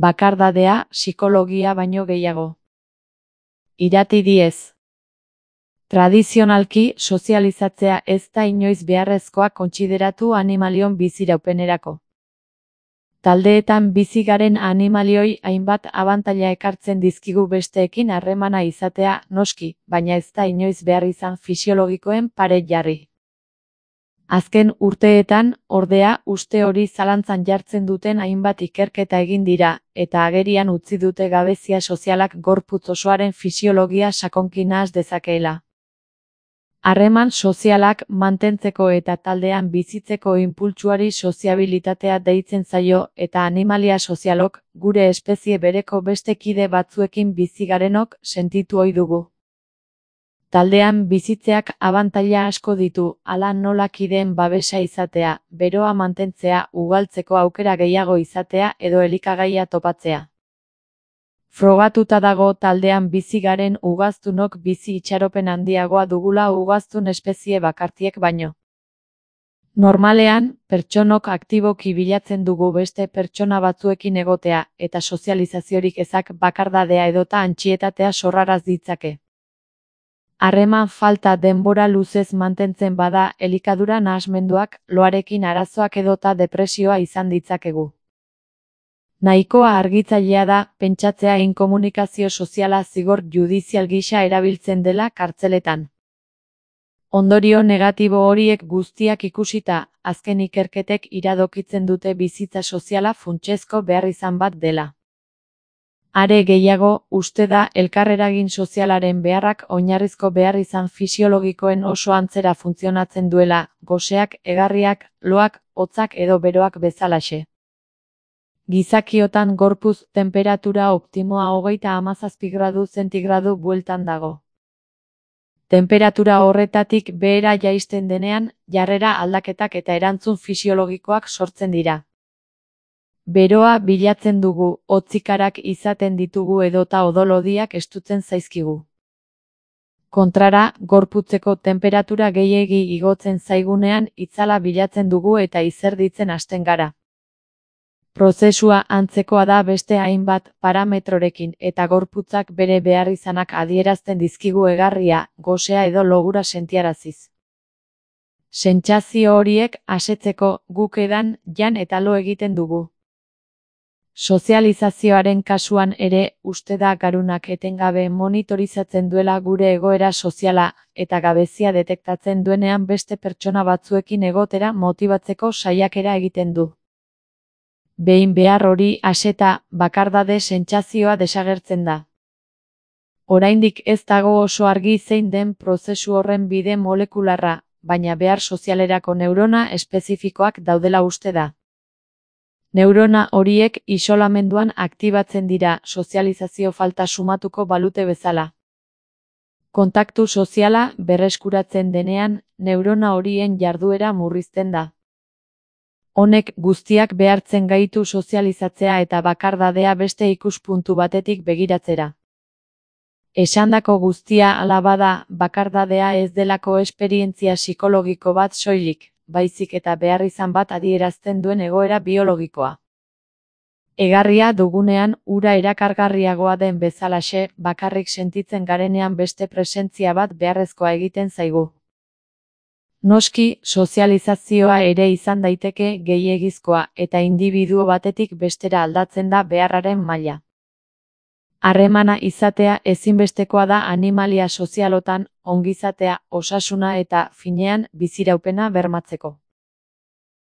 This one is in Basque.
bakardadea psikologia baino gehiago. Irati Diez. Tradizionalki, sozializatzea ez da inoiz beharrezkoa kontsideratu animalion biziraupenerako. Taldeetan bizi garen animalioi hainbat abantaila ekartzen dizkigu besteekin harremana izatea, noski, baina ez da inoiz behar izan fisiologikoen pare jarri. Azken urteetan, ordea, uste hori zalantzan jartzen duten hainbat ikerketa egin dira, eta agerian utzi dute gabezia sozialak gorputz osoaren fisiologia sakonki nahas dezakeela. Harreman sozialak mantentzeko eta taldean bizitzeko inpultsuari soziabilitatea deitzen zaio eta animalia sozialok, gure espezie bereko beste kide batzuekin bizi garenok sentitu ohi dugu. Taldean bizitzeak abantaila asko ditu, hala nola kideen babesa izatea, beroa mantentzea, ugaltzeko aukera gehiago izatea edo elikagaia topatzea. Frogatuta dago taldean bizi garen ugaztunok bizi itxaropen handiagoa dugula ugaztun espezie bakartiek baino. Normalean, pertsonok aktiboki bilatzen dugu beste pertsona batzuekin egotea eta sozializaziorik ezak bakardadea edota antsietatea sorraraz ditzake. Harreman falta denbora luzez mantentzen bada elikadura nahasmenduak, loarekin arazoak edota depresioa izan ditzakegu. Nahikoa argitzailea da, pentsatzea inkomunikazio soziala zigor judizial gisa erabiltzen dela kartzeletan. Ondorio negatibo horiek guztiak ikusita, azken ikerketek iradokitzen dute bizitza soziala funtsezko beharrizan bat dela. Are gehiago, uste da elkarreragin sozialaren beharrak oinarrizko beharrizan fisiologikoen oso antzera funtzionatzen duela, goseak, egarriak, loak, hotzak edo beroak bezalaxe. Gizakiotan gorputz tenperatura optimoa 37 gradu zentigradu bueltan dago. Tenperatura horretatik behera jaisten denean, jarrera aldaketak eta erantzun fisiologikoak sortzen dira. Beroa bilatzen dugu, hotzikarak izaten ditugu edota odolodiak estutzen zaizkigu. Kontrara, gorputzeko tenperatura gehiegi igotzen zaigunean itzala bilatzen dugu eta izerditzen hasten gara. Prozesua antzekoa da beste hainbat parametrorekin eta gorputzak bere beharrizanak adierazten dizkigu egarria, gosea edo logura sentiaraziz. Sentsazio horiek asetzeko guk edan, jan eta lo egiten dugu. Sozializazioaren kasuan ere, uste da garunak etengabe monitorizatzen duela gure egoera soziala eta gabezia detektatzen duenean beste pertsona batzuekin egotera motibatzeko saiakera egiten du. Behin behar hori aseta, bakardade sentsazioa desagertzen da. Oraindik ez dago oso argi zein den prozesu horren bide molekularra, baina behar sozialerako neurona espezifikoak daudela uste da. Neurona horiek isolamenduan aktibatzen dira sozializazio falta sumatuko balute bezala. Kontaktu soziala berreskuratzen denean, neurona horien jarduera murrizten da. Honek guztiak behartzen gaitu sozializatzea eta bakardadea beste ikuspuntu batetik begiratzera. Esandako guztia hala bada, bakardadea ez delako esperientzia psikologiko bat soilik, baizik eta beharrizan bat adierazten duen egoera biologikoa. Egarria dugunean ura erakargarriagoa den bezalaxe, bakarrik sentitzen garenean beste presentzia bat beharrezkoa egiten zaigu. Noski, sozializazioa ere izan daiteke gehiegizkoa eta indibiduo batetik bestera aldatzen da beharraren maila. Harremana izatea ezinbestekoa da animalia sozialotan, ongizatea, osasuna eta, finean, biziraupena bermatzeko.